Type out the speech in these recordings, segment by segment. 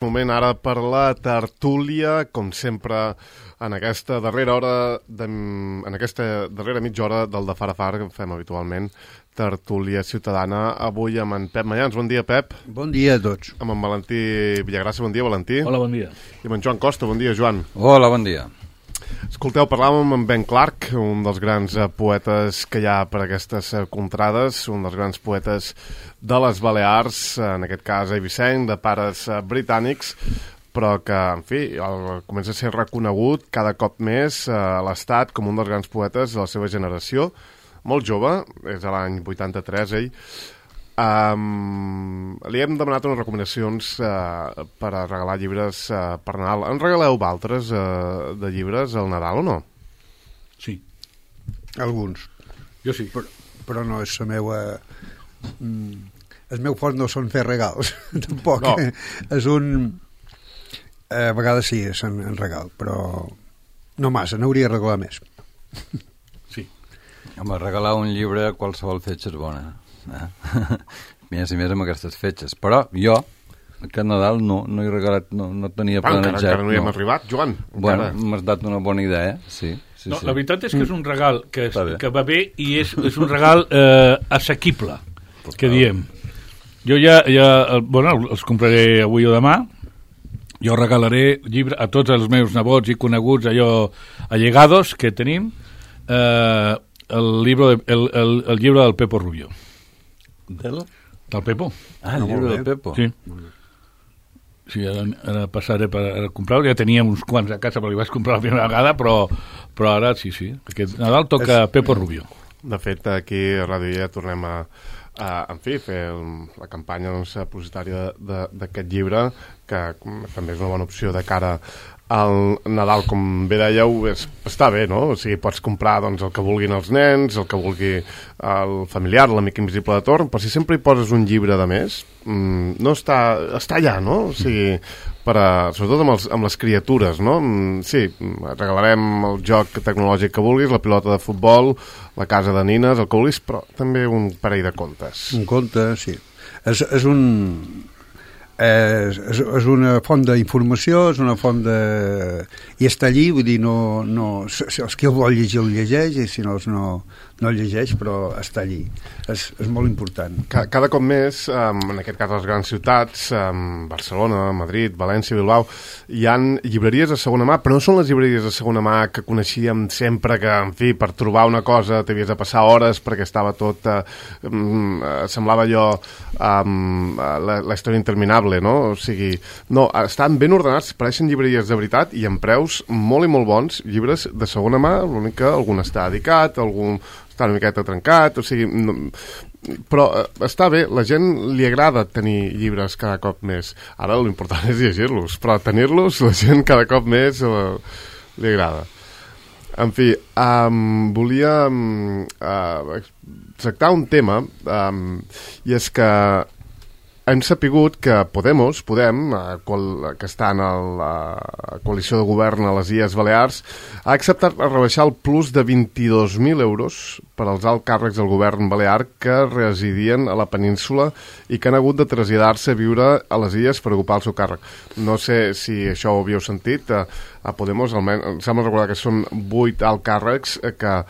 Moment ara per la tertúlia, com sempre, en aquesta darrera mitja hora del de Far a Far, que fem habitualment, tertúlia ciutadana. Avui amb en Pep Mayans. Bon dia, Pep. Bon dia a tots. Amb en Valentí Villagrassa. Bon dia, Valentí. Hola, bon dia. I amb en Joan Costa. Bon dia, Joan. Hola, bon dia. Escolteu, parlàvem amb Ben Clark, un dels grans poetes que hi ha per aquestes contrades, un dels grans poetes de les Balears, en aquest cas eivissenc, de pares britànics, però que, en fi, comença a ser reconegut cada cop més a l'Estat com un dels grans poetes de la seva generació. Molt jove, és a l'any 83, ell. Li hem demanat unes recomanacions per a regalar llibres per Nadal. En regaleu altres de llibres al Nadal o no? Sí. Alguns. Jo sí. Però no és la meva... el meu fort no són fer regals, tampoc. No. És un... A vegades sí, és en regal, però no massa, n'hauria de regalar més. Sí. Home, regalar un llibre a qualsevol fetge és bona. Més i més amb aquestes fetges. Però jo, aquest Nadal, no he regalat, no tenia planejat. Encara no hi hem arribat, Joan. Bueno, m'has dat una bona idea, sí. Sí. La veritat és que és un regal que va bé i és un regal assequible, que diem. Jo ja els compraré avui o demà. Jo regalaré llibre a tots els meus nebots i coneguts, allò allegados que tenim, el llibre del Pepo Rubio. Del Pepo. Ah, el llibre del Pepo. Sí. Sí, ara passaré per comprar-lo. Ja tenia uns quants a casa, però li vaig comprar la primera vegada, però ara sí. Aquest Nadal toca Pepo Rubio. De fet, aquí a Ràdio ja tornem a fer la campanya publicitària d'aquest llibre, que també és una bona opció de cara al Nadal, com bé dèieu, està bé, no? O sigui, pots comprar el que vulguin els nens, el que vulgui el familiar, l'amic invisible de torn, però si sempre hi poses un llibre de més, no està allà, no? O sigui, sobretot amb les criatures, no? Sí, regalarem el joc tecnològic que vulguis, la pilota de futbol, la casa de nines, el que vulguis, però també un parell de contes. Un conte, sí. És una font d'informació, és una font de... I està allí, vull dir, els que el vol llegir el llegeix, i si no el llegeix, però està allí. És molt important. Cada cop més, en aquest cas les grans ciutats, Barcelona, Madrid, València, Bilbao, hi han llibreries de segona mà, però no són les llibreries de segona mà que coneixíem sempre, que, en fi, per trobar una cosa t'havies de passar hores perquè estava tot... semblava allò la història interminable, no? O sigui, no, estan ben ordenats, pareixen llibreries de veritat i amb preus molt i molt bons, llibres de segona mà, l'únic que algun està dedicat, algun està una miqueta trencat, o sigui... Però està bé, la gent li agrada tenir llibres cada cop més. Ara l'important és llegir-los, però tenir-los la gent cada cop més li agrada. En fi, volia tractar un tema, i és que hem sapigut que Podem, que està en la coalició de govern a les Illes Balears, ha acceptat rebaixar el plus de 22.000 euros per als alts càrrecs del govern balear que residien a la península i que han hagut de traslladar-se a viure a les Illes per ocupar el seu càrrec. No sé si això ho havíeu sentit, a Podem, almenys, em sembla recordar que són 8 alts càrrecs que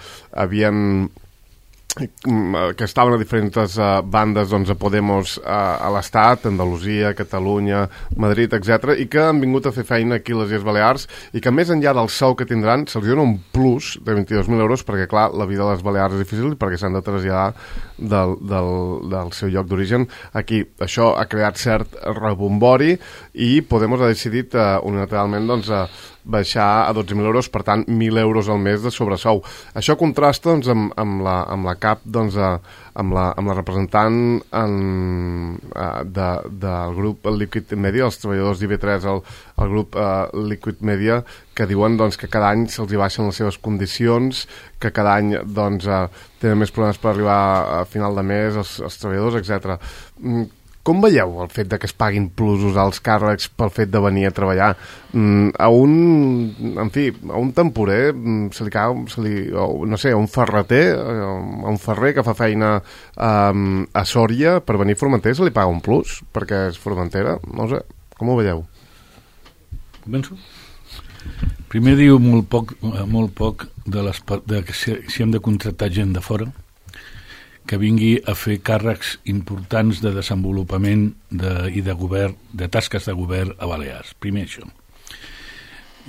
estaven a diferents bandes a Podemos a l'Estat, Andalusia, Catalunya, Madrid, etc, i que han vingut a fer feina aquí a les Illes Balears i que més enllà del sou que tindran se'ls dona un plus de 22.000 euros perquè, clar, la vida a les Balears és difícil perquè s'han de traslladar del seu lloc d'origen aquí. Això ha creat cert rebombori i Podemos ha decidit unilateralment baixar a 12.000 euros, per tant 1.000 euros al mes de sobresou. Això contrasta amb la cap, amb la representant del grup Liquid Media, els treballadors d'IV3 el grup Liquid Media, que diuen que cada any se'ls baixen les seves condicions, que cada any tenen més problemes per arribar a final de mes els treballadors, etc. Com veieu el fet de que es paguin plusos als càrrecs pel fet de venir a treballar? A un temporer a un ferreter, a un ferrer que fa feina a Sòria per venir a Formentera se li paga un plus perquè és formentera? No sé, com ho veieu? Començo? Primer diu molt poc de que si hem de contractar gent de fora que vingui a fer càrrecs importants de desenvolupament i de govern, de tasques de govern a Balears. Primer això.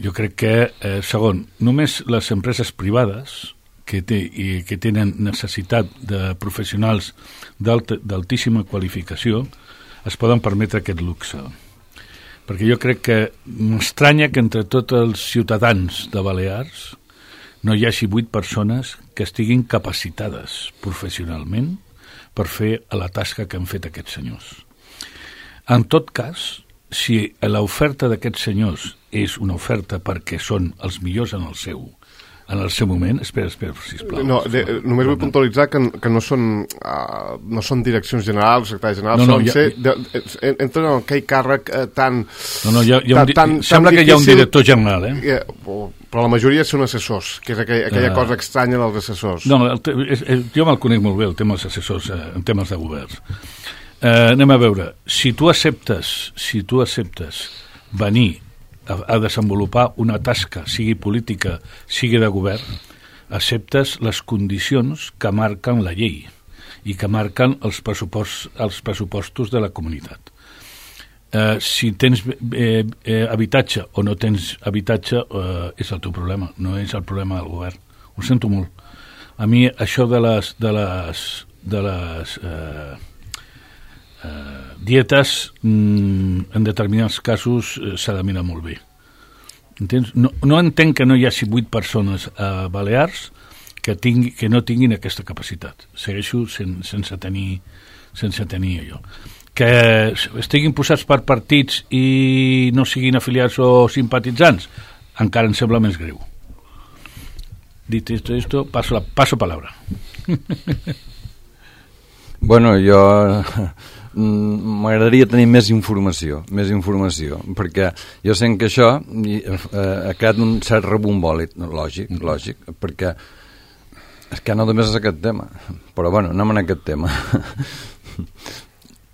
Jo crec que, segon, només les empreses privades que tenen necessitat de professionals d'altíssima qualificació es poden permetre aquest luxe. Perquè jo crec que m'estranya que entre tots els ciutadans de Balears no hi hagi 8 persones que estiguin capacitades professionalment per fer la tasca que han fet aquests senyors. En tot cas, si l'oferta d'aquests senyors és una oferta perquè són els millors en el seu moment... Espera, sisplau. No, només vull puntualitzar que no són direccions generals, secretaris generals, entren en aquell càrrec tan... Sembla que hi ha un director general, però la majoria són assessors, que és aquella cosa estranya dels assessors. No, jo me'l conec molt bé, el tema dels assessors en temes de governs. Anem a veure, si tu acceptes venir a desenvolupar una tasca, sigui política, sigui de govern, acceptes les condicions que marquen la llei i que marquen els pressupostos de la comunitat. Si tens habitatge o no tens habitatge és el teu problema, no és el problema del govern. Ho sento molt. A mi això de les dietes en determinats casos s'ha de mirar molt bé. Entens? No entenc que no hi hagi 8 persones a Balears que no tinguin aquesta capacitat. Segueixo sense tenir allò. Que estiguin posats per partits i no siguin afiliats o simpatitzants, encara em sembla més greu. Dit esto, paso palabra. Bueno, jo m'agradaria tenir més informació, perquè jo sent que això ha creat un cert rebombòlit, lògic, perquè és que no només és aquest tema, però bueno, anem en aquest tema.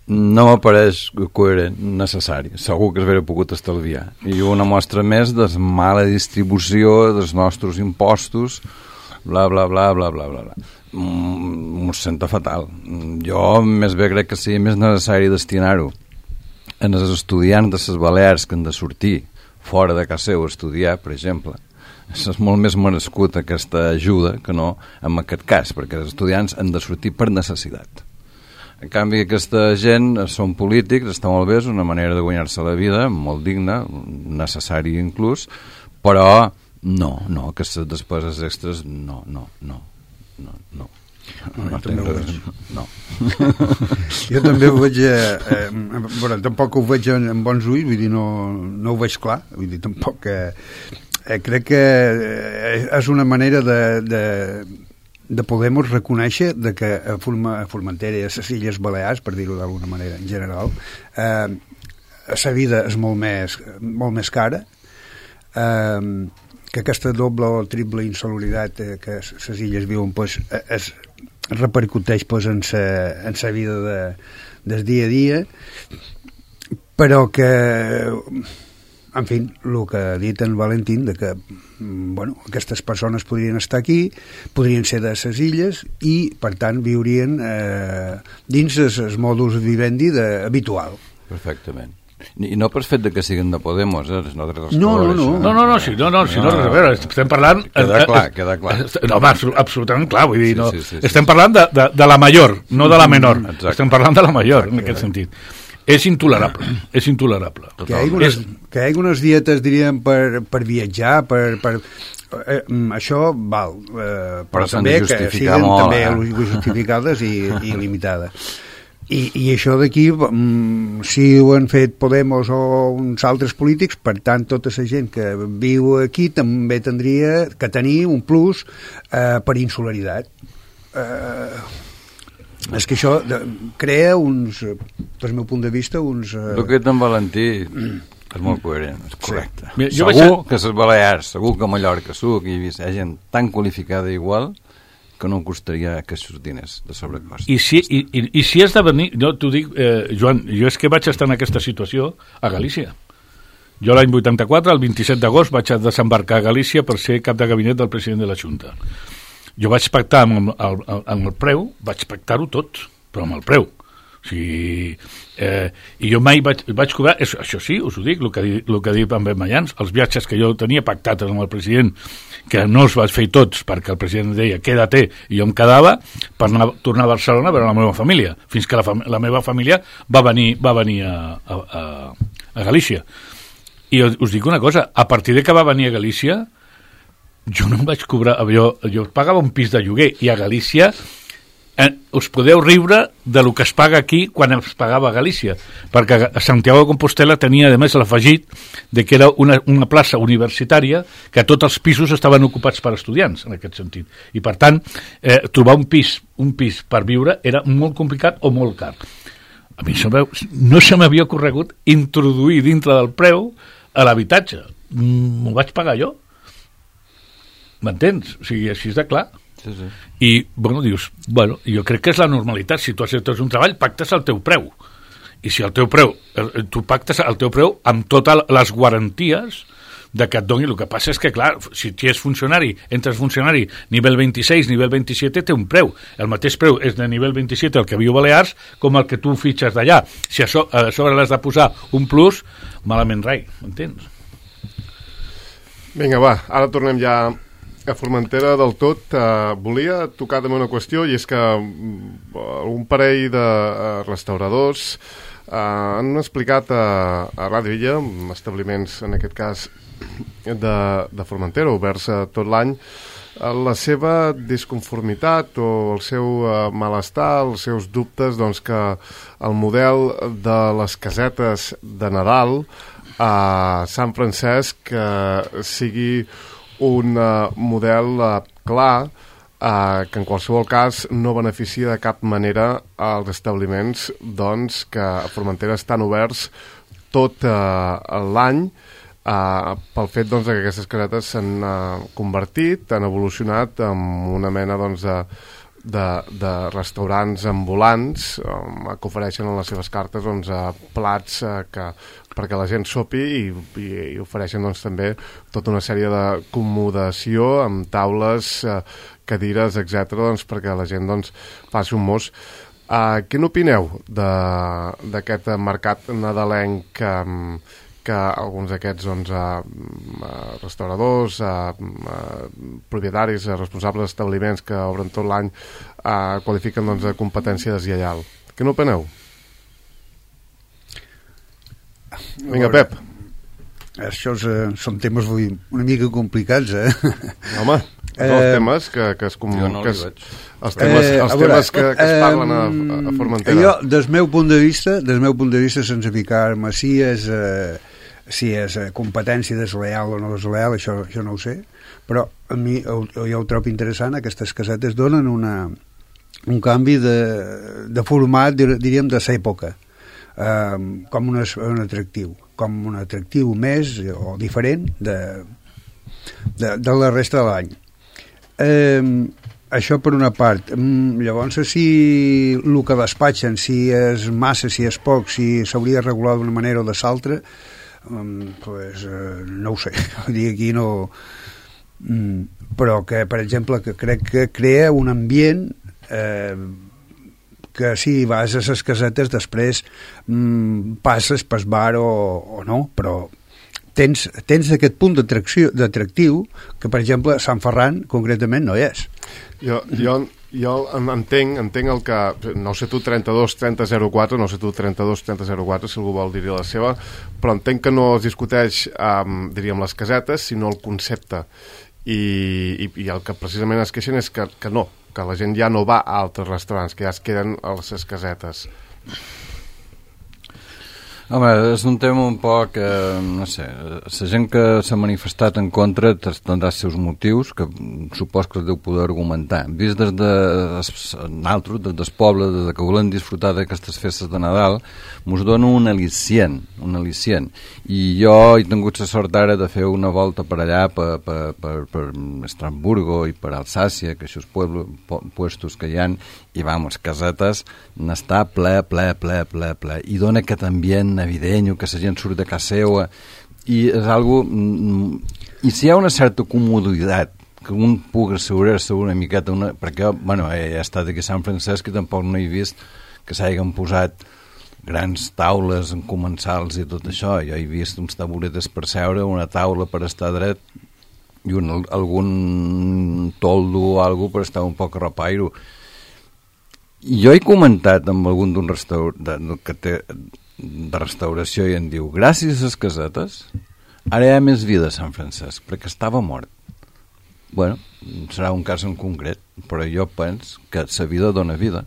No m'apareix coherent, necessari. Segur que s'hauria pogut estalviar. I una mostra més de mala distribució dels nostres impostos, bla, bla, bla, bla, bla, bla. M'ho sento fatal. Jo més bé crec que sigui més necessari destinar-ho en els estudiants de les Balears que han de sortir fora de casa seu a estudiar, per exemple. És molt més merescut aquesta ajuda que no en aquest cas, perquè els estudiants han de sortir per necessitat. En canvi, aquesta gent són polítics, està molt bé, és una manera de guanyar-se la vida, molt digna, necessària inclús, però no, aquestes despeses extres, no. Jo també ho veig bueno, tampoc ho veig en bons ulls, vull dir, no ho veig clar, vull dir, tampoc crec que és una manera de Podemos reconèixer de que a Formentera i a les Illes Balears, per dir-ho d'alguna manera en general, la vida és molt més cara, que aquesta doble o triple insaluberitat que les illes viuen pues, es repercuteix pues, en la vida del dia a dia, però que en fi, el que ha dit en Valentín de que bueno, aquestes persones podrien estar aquí, podrien ser de les illes i per tant viurien dins el modus vivendi habitual. Perfectament. I no per fet que siguin de Podemos, No, estem parlant... Queda clar. No, absolutament clar, vull dir, sí. Estem parlant de la major, no de la menor. Exacte. Estem parlant de la major, en aquest sentit. És intolerable. Que hi ha unes dietes, diríem, per viatjar, això val, però també que siguin també justificades i limitades. I això d'aquí, si ho han fet Podemos o uns altres polítics, per tant, tota la gent que viu aquí també tindria que tenir un plus per insularitat. És que això crea uns, des del meu punt de vista, uns... El que en Valentí és molt coherent, és correcte. Sí. Segur que les Balears, segur que a Mallorca, segur que hi ha gent tan qualificada igual que no costaria aquests diners de sobrecost. I si has de venir, jo t'ho dic, Joan, jo és que vaig estar en aquesta situació a Galícia. Jo l'any 84, el 27 d'agost, vaig desembarcar a Galícia per ser cap de gabinet del president de la Junta. Jo vaig pactar amb el preu, vaig pactar-ho tot, però amb el preu. O sigui, i jo mai vaig cobrar, això sí, us ho dic, el que ha dit en Mayans, els viatges que jo tenia pactats amb el president, que no els vaig fer tots perquè el president deia quédate i jo em quedava per tornar a Barcelona a veure la meva família, fins que la meva família va venir a Galícia. I us dic una cosa, a partir de que va venir a Galícia jo no em vaig cobrar, jo pagava un pis de lloguer i a Galícia us podeu riure de lo que es paga aquí quan es pagava a Galícia, perquè a Santiago de Compostela tenia a més l'afegit de que era una plaça universitària que tots els pisos estaven ocupats per estudiants en aquest sentit, i per tant trobar un pis per viure era molt complicat o molt car. A mi no se m'havia ocorregut introduir dintre del preu a l'habitatge, m'ho vaig pagar jo, m'entens? O sigui, així és de clar. Sí, sí. I, dius, jo crec que és la normalitat. Si tu has un treball, pactes el teu preu. I si el teu preu, tu pactes el teu preu amb totes les garanties de que et doni. El que passa és que, clar, si tu és funcionari, entres funcionari nivell 26, nivell 27, té un preu. El mateix preu és de nivell 27 el que viu a Balears com el que tu fitxes d'allà. Si a sobre l'has de posar un plus, malament rai, m'entens? Vinga, va, ara tornem ja a Formentera del tot. Volia tocar també una qüestió, i és que un parell de restauradors han explicat a Ràdio Illa, establiments en aquest cas de Formentera, oberts tot l'any, la seva disconformitat o el seu malestar, els seus dubtes, doncs que el model de les casetes de Nadal a Sant Francesc sigui un model clar que en qualsevol cas no beneficia de cap manera als establiments doncs, que a Formentera estan oberts tot l'any pel fet doncs, que aquestes casetes s'han convertit, han evolucionat en una mena doncs, de restaurants ambulants que ofereixen en les seves cartes doncs, plats perquè la gent sopi i ofereixen doncs, també tota una sèrie d'acomodació amb taules, cadires, etc. Doncs, perquè la gent doncs, faci un mos. Què n'opineu d'aquest mercat nadalenc que alguns d'aquests doncs, restauradors, propietaris, responsables d'establiments que obren tot l'any qualifiquen doncs, de competència deslleial? Què n'opineu? Vinga, Pep. Això són temes una mica complicats, Home, els temes que es parlen a Formentera. Jo, des meu punt de vista, sense ficar-me si és competència desleal o no desleal, això no ho sé, però a mi jo ho trobo interessant. Aquestes casetes donen un canvi de format, diríem, de l'època, com un atractiu més o diferent de la resta de l'any. Això per una part. Llavors, si el que despatxen, si és massa, si és poc, si s'hauria de regular d'una manera o de l'altra, pues, no ho sé. Aquí no... Però que, per exemple, que crec que crea un ambient que si vas a les casetes després passes pel bar o no, però tens aquest punt d'atractiu que, per exemple, a Sant Ferran concretament no hi és. Jo entenc el que... No sé tu 32-30-04, no sé tu 32-30-04, si algú vol dir-hi la seva, però entenc que no es discuteix, diríem, les casetes, sinó el concepte. I el que precisament es queixen és que no, que la gent ja no va a altres restaurants, que ja es queden a les casetes. Home, és un tema un poc, no sé, la gent que s'ha manifestat en contra tindrà els seus motius, que supos que els deu poder argumentar. Vist des nosaltres, des del poble, des que volem disfrutar d'aquestes festes de Nadal, mos dona un al·licient. I jo he tingut la sort ara de fer una volta per allà, per Estrasburgo i per Alsàcia, que aquests puestos que hi ha, i vamos, casetes, n'està ple, i dona aquest ambient navideño, que la gent surt de casa seva I és algo... I si hi ha una certa comoditat que un pugui assegurar-se una miqueta... Perquè, bueno, he estat aquí a Sant Francesc i tampoc no he vist que s'hagin posat grans taules en comensals i tot això. Jo he vist uns taburetes per seure, una taula per estar dret i algun toldo o alguna per estar un poc a repairo. Jo he comentat amb algun d'un que té de restauració i em diu, gràcies a les casetes ara hi ha més vida a Sant Francesc perquè estava mort. Bueno, serà un cas en concret, però jo penso que la vida dona vida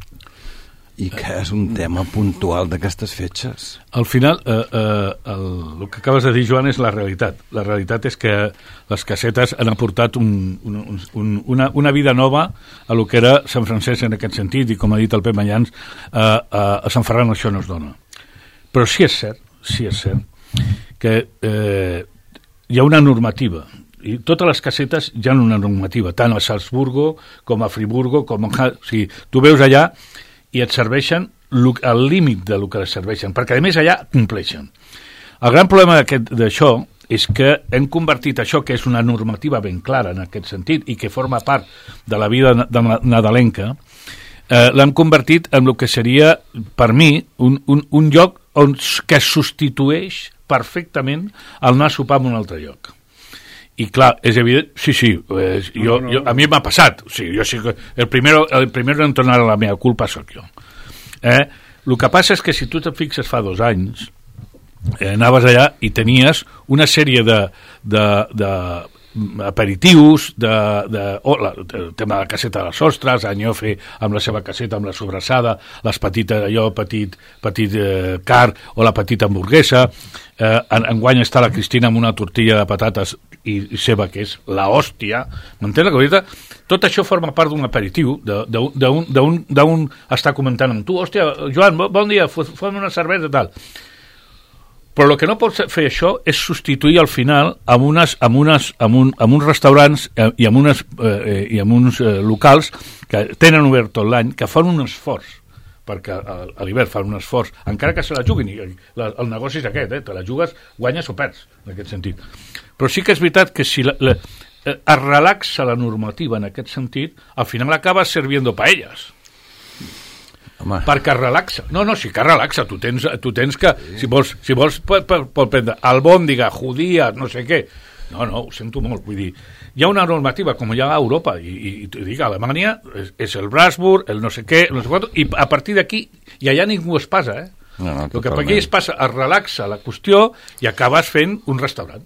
i que és un tema puntual d'aquestes fetges. Al final, el que acabes de dir, Joan, és la realitat. La realitat és que les casetes han aportat una vida nova a lo que era Sant Francesc en aquest sentit, i com ha dit el Pep Mayans, a Sant Ferran això no es dona. Però sí és cert que hi ha una normativa, i totes les casetes hi ha una normativa, tant a Salzburgo com a Friburgo, o sigui, tu veus allà i et serveixen al límit del que les serveixen, perquè a més allà compleixen. El gran problema d'això és que hem convertit això, que és una normativa ben clara en aquest sentit i que forma part de la vida nadalenca, l'hem convertit en el que seria, per mi, un lloc que substitueix perfectament el anar a sopar en un altre lloc. I clar, és evident, a mi m'ha passat, o sigui, jo sí que el primero en tornar a la meva culpa sóc jo. El que passa és que si tu et fixes fa 2 anys, anaves allà i tenies una sèrie de aperitius, el tema de la caseta de les ostres, Anyofe amb la seva caseta, amb la sobrassada, les petites, allò, petit car o la petita hamburguesa. Enguany està la Cristina amb una tortilla de patates i seva, que és la hòstia, m'entens la cosa? Tot això forma part d'un aperitiu, d'un estar comentant amb tu, hòstia, Joan, bon dia, fem una cervesa i tal. Però el que no pot fer això és substituir al final amb uns restaurants i amb uns locals que tenen obert tot l'any, que fan un esforç, perquè a l'hivern fan un esforç, encara que se la juguin, i el negoci és aquest, te la jugues, guanyes o perds, en aquest sentit. Però sí que és veritat que si es relaxa la normativa en aquest sentit, al final acabes serviendo paelles. Home. Perquè relaxa. No, sí que relaxa. Tu tens que... Si vols pot prendre albòndiga, judía, no sé què. No, ho sento molt. Vull dir, hi ha una normativa, com hi ha a Europa, i t'ho dic, a Alemanya és el Brasburg, el no sé què, no sé quant, i a partir d'aquí, i allà ningú es passa, el que per aquí es passa, es relaxa la qüestió i acabes fent un restaurant.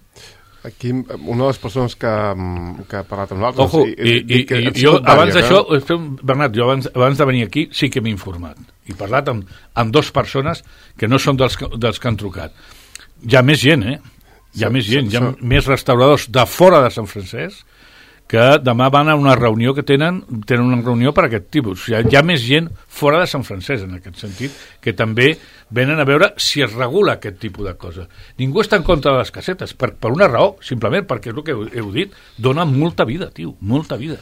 Aquí, una de les persones que ha parlat amb nosaltres... Ojo, i jo abans d'això, Bernat, jo abans de venir aquí sí que m'he informat. He parlat amb 2 persones que no són dels que han trucat. Hi ha més gent, Hi ha més gent, hi ha més restauradors de fora de Sant Francesc que demà van a una reunió que tenen una reunió per aquest tipus. O sigui, hi ha més gent fora de Sant Francesc, en aquest sentit, que també venen a veure si es regula aquest tipus de cosa. Ningú està en contra de les casetes, per una raó, simplement perquè és el que heu dit, dona molta vida, tio, molta vida.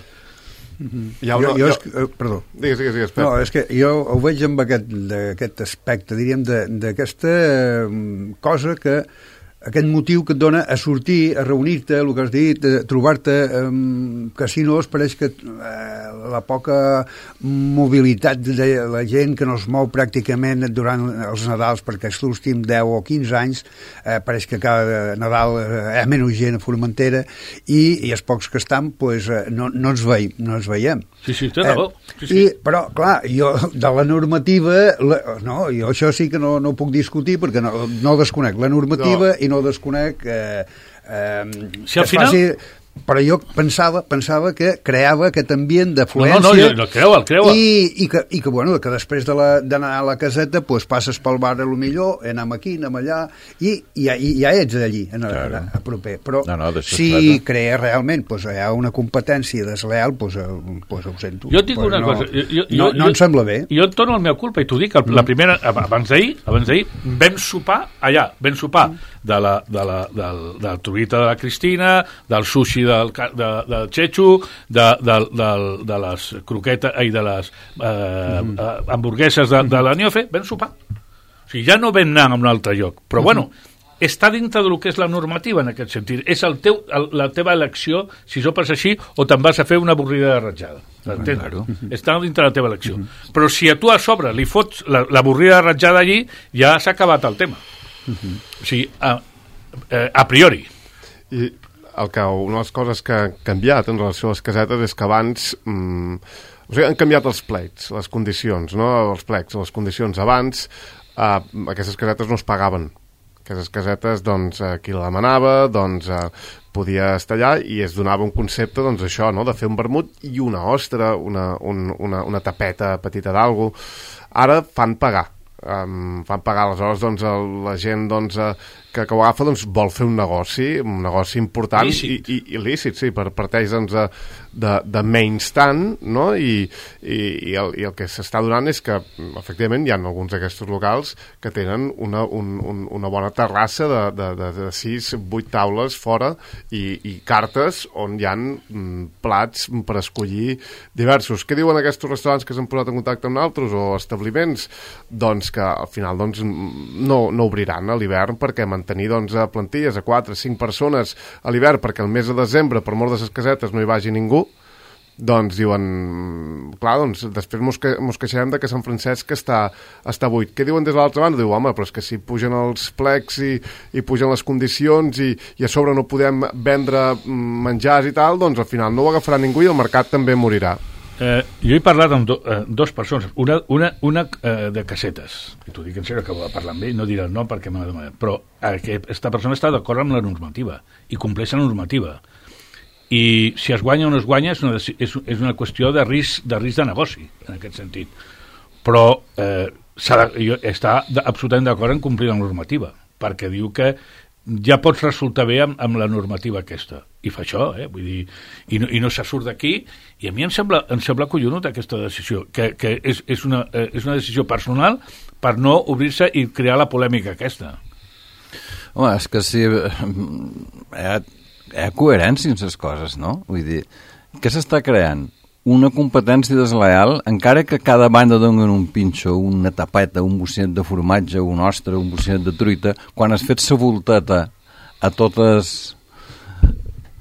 Perdó. Digues, no, és que jo ho veig amb aquest aspecte, diríem, d'aquesta cosa que aquest motiu que et dona a sortir, a reunir-te, el que has dit, a trobar-te casinos, pareix que la poca mobilitat de la gent que no es mou pràcticament durant els Nadals, perquè els últims 10 o 15 anys pareix que cada Nadal hi ha menys gent a Formentera i els pocs que estan pues, no ens veiem. Sí, té raó. Però, clar, jo de la normativa, jo això sí que no ho puc discutir perquè no desconec la normativa i no desconec si al final... però jo pensava que creava aquest ambient d'afluència el creu i que, bueno, que després d'anar a la caseta pues, passes pel bar a lo millor, anem aquí, anem allà i ja ets allí a proper, però si crea realment pues, hi ha una competència desleal pues ho sento, jo et dic una cosa no em sembla bé. Jo et torno al meu culpa i t'ho dic, la primera, abans d'ahir vam sopar allà, de la truita de la Cristina, del sushi del Chechu, de les croquetes i de les hamburgueses de la Niofe, vam sopar. O sigui, ja no vam anar a un altre lloc. Però, bueno, està dintre del que és la normativa en aquest sentit. És la teva elecció, si sopes així, o te'n vas a fer una avorrida de ratjada. Claro. Està dintre la teva elecció. Però si a tu a sobre li fots l'avorrida de ratjada allí, ja s'ha acabat el tema. O sigui, a priori. I una de les coses que ha canviat en relació a les casetes és que abans... O sigui, han canviat els plecs, les condicions, no? Els plecs, les condicions. Abans, aquestes casetes no es pagaven. Aquestes casetes, doncs, qui la demanava, doncs, podia estar allà i es donava un concepte, doncs, això, no?, de fer un vermut i una ostra, una tapeta petita d'algú. Ara fan pagar. Aleshores, doncs, la gent, doncs, que ho agafa, doncs, vol fer un negoci important i lícit, sí, parteix, doncs, de menys tant, no?, i el que s'està donant és que, efectivament, hi ha alguns d'aquests locals que tenen una bona terrassa de 6-8 taules fora i cartes on hi ha plats per escollir diversos. Què diuen aquests restaurants que s'han posat en contacte amb altres o establiments? Doncs que al final, doncs, no obriran a l'hivern perquè mantenir, doncs, plantilles a 4-5 persones a l'hivern perquè el mes de desembre, per mort de les casetes, no hi vagi ningú, doncs diuen, clar, doncs després mos queixarem de que Sant Francesc està buit. Què diuen des de l'altra banda? Diu, home, però és que si pugen els plecs i pugen les condicions i a sobre no podem vendre menjars i tal, doncs al final no ho agafarà ningú i el mercat també morirà. Jo he parlat amb dues persones, una de casetes, i t'ho dic en sèrio que va parlar amb ell, no diré el nom perquè m'ha demanat, però aquesta persona està d'acord amb la normativa i compleix la normativa. I si es guanya o no es guanya és una qüestió de risc de negoci, en aquest sentit. Però jo està absolutament d'acord en complir la normativa, perquè diu que ja pots resultar bé amb la normativa aquesta. I fa això, vull dir, i no se surt d'aquí, i a mi em sembla collonut aquesta decisió, que és una decisió personal per no obrir-se i crear la polèmica aquesta. Home, és que sí, hi ha coherència en les coses, no? Vull dir, què s'està creant? Una competència desleal, encara que cada banda donen un pinxo, una tapeta, un bocinat de formatge, una ostra, un bocinat de truita, quan has fet sa volteta a totes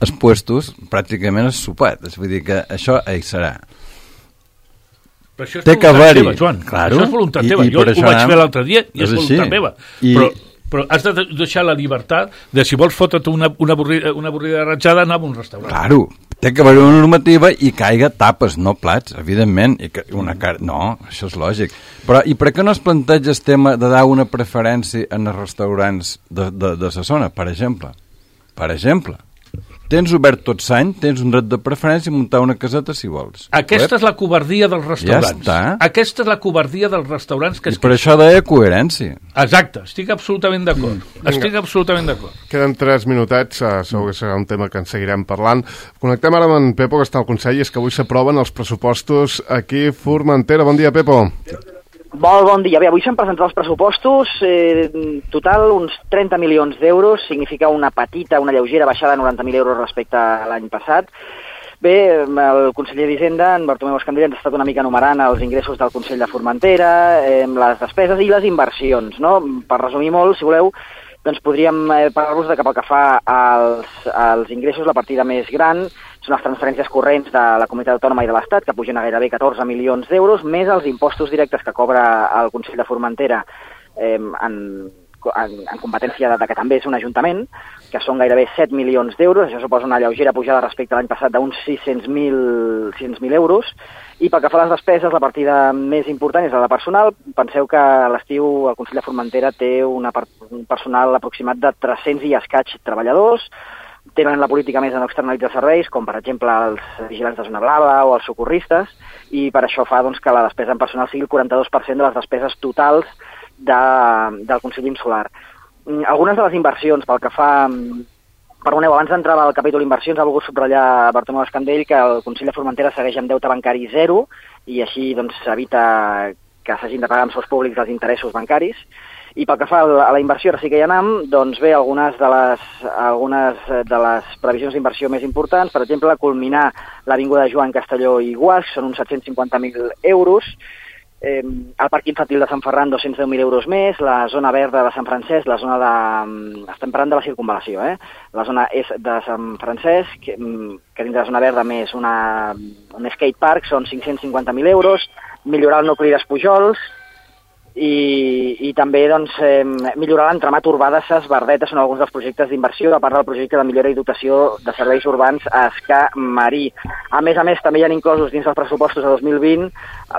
els puestos, pràcticament has sopat. Vull dir que això hi serà. Però això és voluntat teva, Joan. Claro. Això és voluntat teva. Jo ho vaig fer l'altre dia i és voluntat meva. Però has de deixar la llibertat de si vols fotre't una avorrida ratjada, anar a un restaurant. Claro, té que haver una normativa i caiga tapes, no plats, evidentment. No, això és lògic. Però i per què no es planteja el tema de dar una preferència en els restaurants de la zona, per exemple? Per exemple. Tens obert tot l'any, tens un dret de preferència i muntar una caseta si vols. Aquesta és la covardia dels restaurants. Ja està. Aquesta és la covardia dels restaurants. I per això deia coherència. Exacte, estic absolutament d'acord. Estic absolutament d'acord. Queden 3 minutets, segur que serà un tema que en seguirem parlant. Connectem ara amb en Pepo, que està al Consell, i és que avui s'aproven els pressupostos aquí a Formentera. Bon dia, Pepo. Molt bon dia. Bé, avui s'han presentat els pressupostos, total uns 30 milions d'euros, significa una lleugera baixada de 90.000 euros respecte a l'any passat. Bé, el conseller d'Hisenda, en Bartomeu Escandell, ens ha estat una mica enumerant els ingressos del Consell de Formentera, les despeses i les inversions, no? Per resumir molt, si voleu, doncs podríem parlar-vos de que pel que fa als ingressos, la partida més gran són les transferències corrents de la Comunitat Autònoma i de l'Estat, que pugen a gairebé 14 milions d'euros, més els impostos directes que cobra el Consell de Formentera en competència de que també és un ajuntament, que són gairebé 7 milions d'euros. Això suposa una lleugera pujada respecte a l'any passat d'uns 600.000 euros. I pel que fa a les despeses, la partida més important és la de personal. Penseu que a l'estiu el Consell de Formentera té un personal aproximat de 300 i escaig treballadors. Tenen la política més de no externalitzar serveis, com per exemple els vigilants de zona blava o els socorristes, i per això fa doncs, que la despesa en personal sigui el 42% de les despeses totals del Consell Insular. Algunes de les inversions, pel que fa... Perdoneu, abans d'entrar al capítol inversions ha volgut subratllar Bartomeu Escandell que el Consell de Formentera segueix amb deute bancari zero i així doncs s'evita que s'hagin de pagar amb sous públics els interessos bancaris. I pel que fa a la inversió, ara sí que hi anem, doncs bé, algunes de les previsions d'inversió més importants, per exemple, culminar l'Avinguda Joan Castelló i Guasch, són uns 750.000 euros, el parc infantil de Sant Ferran, 210.000 euros més, la zona verda de Sant Francesc, la zona de... Estem parlant de la circunvalació, La zona és de Sant Francesc, que dins de la zona verda més un skatepark, són 550.000 euros, millorar el nucli d'Espujols, i també doncs, millorar l'entramat urbà de Ses Verdetes són alguns dels projectes d'inversió, a part del projecte de millora i dotació de serveis urbans a Escà Marí. A més, també hi ha inclosos dins dels pressupostos de 2020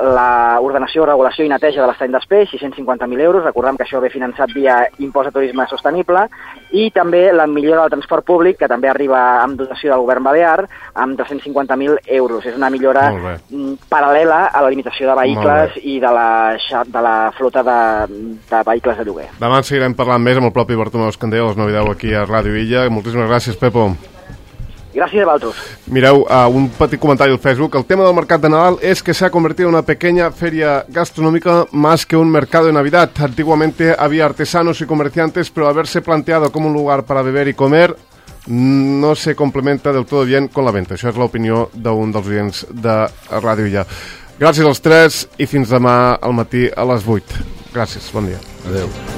l'ordenació, regulació i neteja de l'estany d'Espeix, 650.000 euros, recordem que això ve finançat via impost de turisme sostenible, i també la millora del transport públic, que també arriba amb dotació del govern balear, amb 350.000 euros. És una millora paral·lela a la limitació de vehicles i de la flota de vehicles de lloguer. Demà en seguirem parlant més amb el propi Bartomeu Escandell, a les 9:10 aquí a Ràdio Illa. Moltíssimes gràcies, Pepo. Gràcies a vosaltres. Mireu, un petit comentari al Facebook. El tema del mercat de Nadal es que se ha convertido en una pequeña feria gastronómica más que un mercado de Navidad. Antiguamente había artesanos y comerciantes, pero haberse planteado como un lugar para beber y comer no se complementa del todo bien con la venta. Això és l'opinió d'un dels oients de Ràdio Illa. Gràcies als tres i fins demà al matí a les 8. Gràcies, bon dia. Adéu.